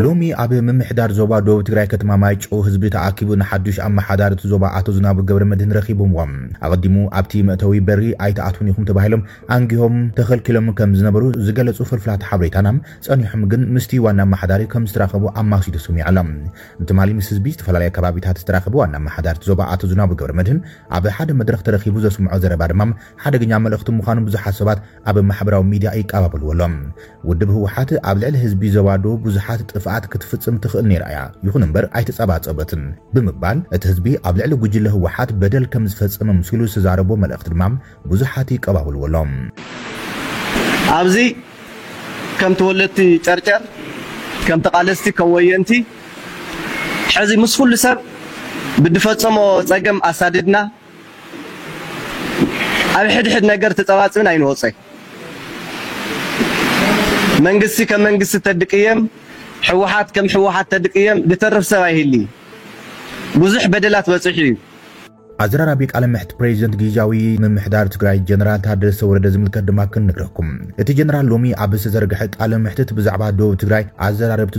ሎሚ ኣብ ምምሕዳር ዞባ ደቡብ ትግራይ ከተማ ማይጨው ህዝቢ ተኣኪቡ ንሓዱሽ ኣመሓዳሪ እቲ ዞባ ኣቶ ዝናቡ ገብረ መድህን ረኺቦምዎም። ኣቐዲሙ ኣብቲ መእተዊ በሪ ኣይትኣትውን ኢኹም ተባሂሎም ኣንጊሆም ተኸልኪሎም ከም ዝነበሩ ዝገለጹ ፍልፍላት ሓበሬታና፣ ጸኒሖም ግን ምስቲ ዋና ኣመሓዳሪ ከም ዝተራኸቡ ኣማሲሉ ሰሚዑ ኣሎ። ትማሊ ምስ ህዝቢ ዝተፈላለየ ከባቢታት ዝተራኸቡ ዋና ኣመሓዳሪ እቲ ዞባ ኣቶ ዝናቡ ገብረ መድህን ኣብ ሓደ መድረኽ ተረኺቡ ዘስምዖ ዘረባ ድማ ሓደገኛ መልእኽቲ ምዃኑ ብዙሓት ሰባት ኣብ ማሕበራዊ ሚድያ ይቀባበልዎ ኣለዉ። ውድብ ህወሓት ኣብ ልዕሊ ህዝቢ ዞባ ደቡብ ብዙሓት ጥፍኣት ክትፍጽም ትኽእል ነይራ እያ፣ ይኹን እምበር ኣይተጸባጸበትን ብምባል እቲ ህዝቢ ኣብ ልዕሊ ጉጅለ ህወሓት በደል ከም ዝፈጸመ ምሲሉ ዝተዛረቦ መልእኽቲ ድማ ብዙሓት ይቀባበልዎ ኣለዉ። ኣብዚ ከም ተወለድቲ ጨርጨር፣ ከም ተቓለስቲ፣ ከም ወየንቲ ሕዚ ምስ ኩሉ ሰብ ብድፈጸሞ ጸገም ኣሳድድና ኣብ ሕድሕድ ነገር ተጸባጽብን ኣይንወጸይ። መንግስቲ ከም መንግስቲ ተድቅየም፣ ህወሓት ከም ህወሓት ተድቅየም ድተርፍ ሰብ ኣይህሊ። ብዙሕ በደላት በጺሑ እዩ። ኣዘራራቢ ቃለ ምሕት ፕሬዚደንት ግዝያዊ ምምሕዳር ትግራይ ጀነራል ታደሰ ወረደ ዝምልከት ድማ ክንነግረኩም። እቲ ጀነራል ሎሚ ኣብ ዝተዘርግሐ ቃለ ምሕትት ብዛዕባ ደቡብ ትግራይ ኣዘራረብቲ